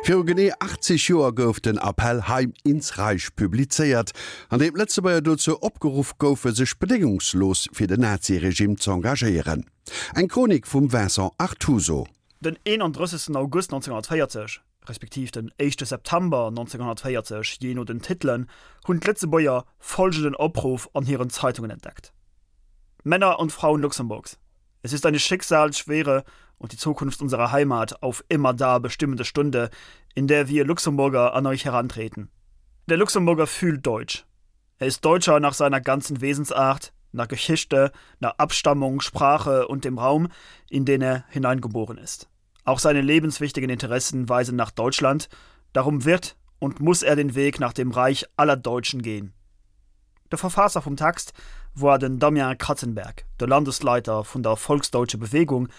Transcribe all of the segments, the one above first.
Viru genee 80 Joer gouf den Appell Heim ins Reich publizéiert, an deem d'Lëtzebuerger dozou opgeruff goufe sech bedéngungslos fir den Naziregime z'engagéieren. Eng Chronik vum Vincent Artuso. Den 31 August 1940, respektiv den éischte September 1940, jee no den Titelen, hunn d'Lëtzebuerger folgenden Opruff an hiren Zeitungen entdeckt, Männer und Frauen Luxemburgs! Es ist eine schicksalsschwere und die Zukunft unserer Heimat auf immerdar bestimmende Stunde, in der wir Luxemburger an euch herantreten. Der Luxemburger fühlt deutsch. Er ist Deutscher nach seiner ganzen Wesensart, nach Geschichte, nach Abstammung, Sprache und dem Raum, in den er hineingeboren ist. Auch seine lebenswichtigen Interessen weisen nach Deutschland, darum wird und muss er den Weg nach dem Reich aller Deutschen gehen. De Verfaasser vum Text war den Damian Kratzenberg, de Landesleiter vun der Volksdeutsche Bewegung,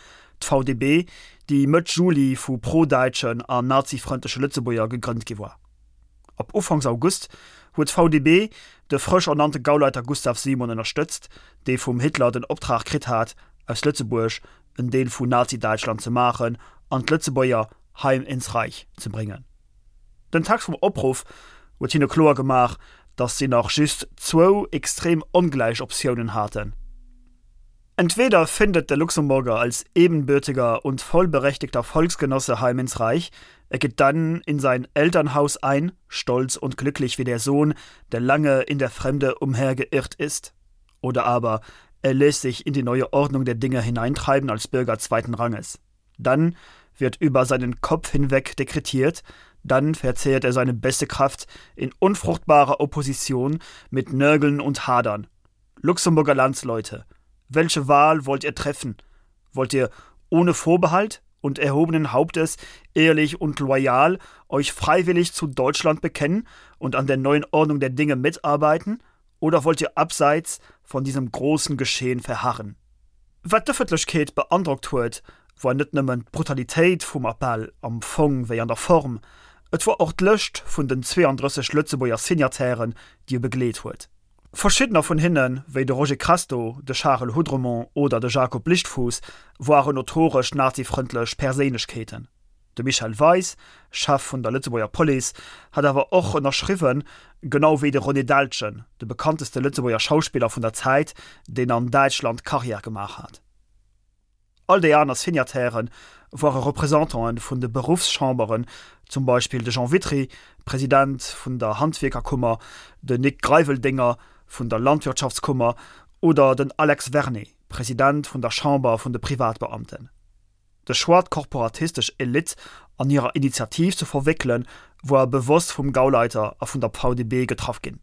d'VDB, déi Mëtt Juli vu pro-däitschen an nazifrëndleche Lëtzebuerger gegrënnt gi war. Ab Ufanks August huet d'VDB de frësch ernannte Gauleiter Gustav Simon ënnerstëtzt, dee vum Hitler den Optrag kritt hat, aus Lëtzebuerg en Deel vu Nazi-Däitschland ze maachen an d'Lëtzebuerger Heim ins Reich ze bréngen. Den Text vum Opruff huet hinne kloer gemaach, datt si nach just zwou extrem ongläich Optiounen haten, Entweder findet der Luxemburger als ebenbürtiger und vollberechtigter Volksgenosse Heim ins Reich, er geht dann in sein Elternhaus ein, stolz und glücklich wie der Sohn, der lange in der Fremde umhergeirrt ist. Oder aber er lässt sich in die neue Ordnung der Dinge hineintreiben als Bürger zweiten Ranges. Dann wird über seinen Kopf hinweg dekretiert, dann verzehrt er seine beste Kraft in unfruchtbarer Opposition mit Nörgeln und Hadern. Luxemburger Landsleute, welche Wahl wollt ihr treffen? Wollt ihr ohne Vorbehalt und erhobenen Hauptes ehrlich und loyal euch freiwillig zu Deutschland bekennen und an der neuen Ordnung der Dinge mitarbeiten oder wollt ihr abseits von diesem großen Geschehen verharren? Wat d'Ëffentlechkeet beandrockt huet, war net nëmmen d'Brutalitéit vum Appell, am Fong wéi an der Form, et war och d'Lëscht vun den 32 Lëtzebuerger Signatairen, déi e begleet huet. Verschiddener vun hinnen, wéi de Roger Kresto, de Charel Houdremont oder de Jacob Lichtfouse, waren notoresch nazifrëndlech Perséinlechkeeten. De Michel Weis, Chef vun der Lëtzebuerger Police, hat awer och ënnerschriwwen, genau wéi de René Deltgen, de bekannteste Lëtzebuerger Schauspiller vun der Zäit, deen an Däitschland Karriär gemaach hat. All déi aner Signataire ware Representanten vun de Beruffschamberen, zum Beispill de Jean Witry, President vun der Handwierkerkummer, den Nic Greiveldinger vun der Landwirtschaftskummer oder den Alex Vernet, President vun der Chamber vun de Privatbeamten. De Choix d'korporatistesch Elite an hirer Initiativ ze verwéckelen, woar bewosst vum Gauleiter a vun der VDB getraff ginn.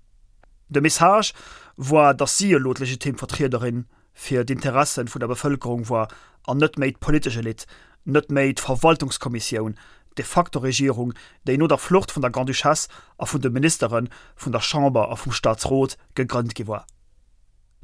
De Message woar, datt si elo d'legitim Vertriederin fir d'Interessen vun der Bevëlkerung woar an net méi d'politesch Elite, net méi d'Verwaltungskommissioun, d'de facto Regierung, déi no der Flucht vun der Grande-Duchesse a vun de Ministere vun der Chamber a vum Staatsrot gegrënnt gi woar.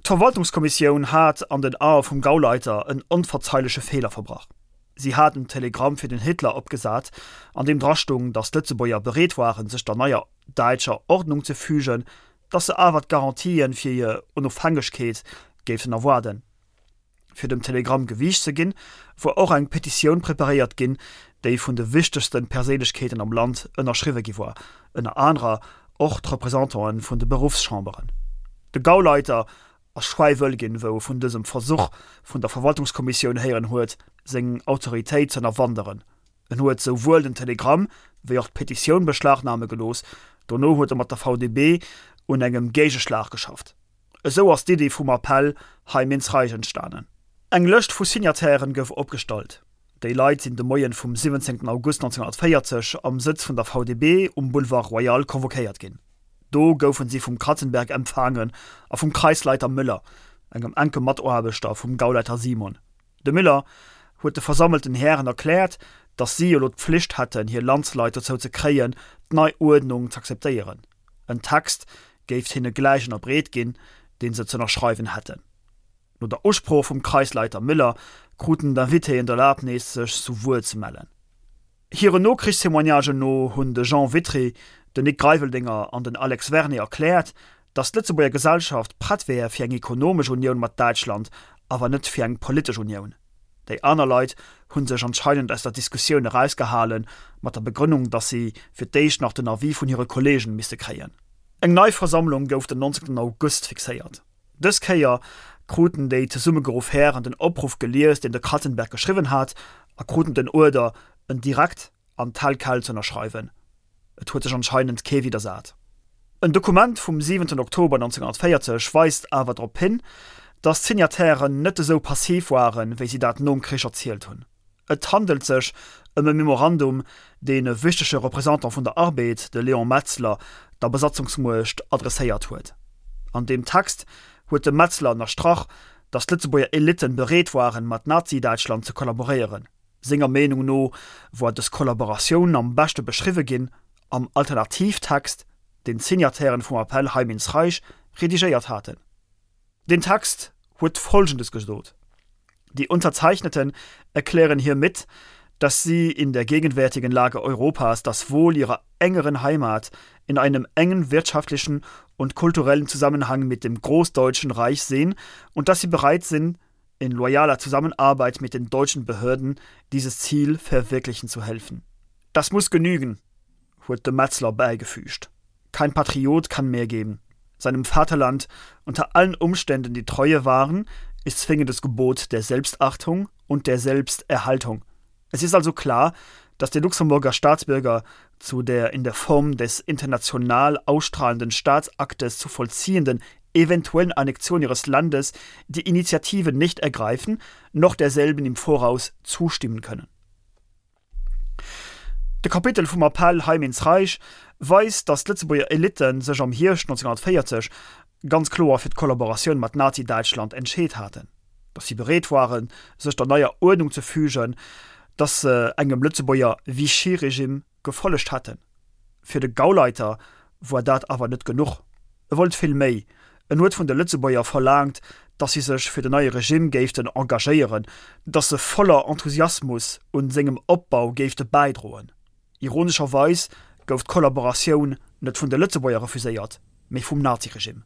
D'Verwaltungskommissioun hat an den Ae vum Gauleiter en onverzeileche Feeler verbrach. Si hat en Telegramm fir den Hitler opgesat, an deem drastung, datt d'Lëtzebuerger bereet waren, sech der neier däitscher Ordnung ze fügen, datt se awer d'Garantien fir hir Onofhängegkeet géifen erwaarden. Fir dem Telegramm Gewiicht ze ginn, wor och eng Petitioun preparéiert ginn, déi vun de wichtegste Perséinlechkeeten am Land ënnerschriwwe gi wor, ënner anerer och d'Representanten vun de Beruffschamberen. De Gauleiter ass schwäiwëll ginn, wou e vun dësem Versuch vun der Verwaltungskommissioun héieren huet, seng Autoritéit z'ënnerwanderen. En huet souwuel den Telegramm wéi och d'Petitioun beschlagname gelooss. Dono huet e mat der VDB un engem Géigeschlag geschafft. Esou ass d'Iddi vum Appell Heim ins Reich entstanen. Eng Lëscht vu Signatairen gouf opgestallt. Déi Leit sinn de Moien vum 17 August 1940 am Sëtz vun der VDB um Boulevard Royal convoquéiert ginn. Do goufen si vum Kratzenberg empfaangen a vum Kreisleiter Müller, engem enke Mataarbechter vum Gauleiter Simon. De Müller huet de versammelten Hären erkläert, datt si elo d'Pflicht hätten, hir Landsleit dozou ze kréien, d'nei Uerdnung z'akzeptéieren. En Text géift hinne gläich ënnerbreet ginn, dee se z'ënnerschreiwen hätten. No der Usprooch vum Kreisleiter Müller kruten d'Invitéen d'Erlabnis, sech zu Wuert ze mellen. Hiren Nokrichstémoignagen no hunn de Jean Witry, den Nic Greiveldinger an den Alex Vernet erkläert, datt d'Lëtzebuerger Gesellschaft prett wär fir eng ekonomesch Unioun mat Däitschland, awer net fir eng politesch Unioun. Déi aner Leit hu sech anscheinend aus der Diskussioun erausgehalen, mat der Begrënnung, datt si fir d'éischt nach den Avis vun hire Kolleegen misste kréien. Eng nei Versammlung gouf den 19 August fixéiert. Dës Kéier kruten déi zesummegeruff Hären den Opruff gelies, deen de Kratzenberg geschriwwen hat, a kruten den Uerder, en direkt an tel quel ze ënnerschreiwen. Et huet sech anscheinend kee widdersat. En Dokument vum 7 Oktober 1940 weist awer drop hin, datt d'Signatairen net esou passiv waren, wéi si dat nom Krich erzielt hunn. Et handelt sech ëm e Memorandum, deen e wichtege Représentant vun der Arbed, de Léon Metzler, der Besatzungsmuecht adresséiert huet. An deem Text huet de Metzler ënnerstrach, datt d'Lëtzebuerger Elitten bereet waren, mat Nazi-Däitschland ze kollaboréieren. Senger Meenung no woar dës Kollaboratioun am beschte beschriwwe ginn am Alternativtext, deen d'Signatairen vum Appell Heim ins Reich redigéiert haten. Den Text huet Folgendes gesot: Die Unterzeichneten erklären hiermit, dass sie in der gegenwärtigen Lage Europas das Wohl ihrer engeren Heimat in einem engen wirtschaftlichen und kulturellen Zusammenhang mit dem Großdeutschen Reich sehen und dass sie bereit sind, in loyaler Zusammenarbeit mit den deutschen Behörden dieses Ziel verwirklichen zu helfen. Das muss genügen, huet de Metzler bäigefügt. Kein Patriot kann mehr geben. Seinem Vaterland unter allen Umständen die Treue wahren, ist zwingendes Gebot der Selbstachtung und der Selbsterhaltung. Es ist also klar, dass die Luxemburger Staatsbürger zu der in der Form des international ausstrahlenden Staatsaktes zu vollziehenden eventuellen Annexion ihres Landes die Initiative nicht ergreifen, noch derselben im Voraus zustimmen können. De Kapitel vum Appell Heim ins Reich weist, datt d'Lëtzebuerger Elitte sech am Hierscht 1940 ganz kloer fir d'Kollaboratioun mat Nazi-Däitschland entscheet haten, datt si bereet waren, sech der neier Uerdnung ze fügen, datt se engem Lëtzebuerger Vichy-Regime gefollegt hätten. Fir de Gauleiter woar dat awer net genuch. E wollt vill méi. En huet vun de Lëtzebuerger verlaangt, datt si sech fir den neie Regime géiften engagéieren, datt se voller Enthusiasmus un sengem Opbau géifte bäidroen. Ironescherweis gouf d'Kollaboratioun net vun de Lëtzebuerger refuséiert, mee vum Naziregime.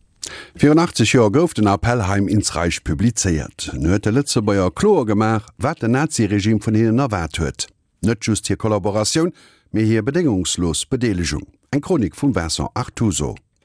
Virun 80 Joer gouf den Appell Heim ins Reich publizéiert. En huet de Lëtzebuerger kloer gemaach, wat den Naziregime vun hinnen erwaart huet. Net just hir Kollaboratioun, mee hir bedéngungslos Bedeelegung. Eng Chronik vum Vincent Artuso.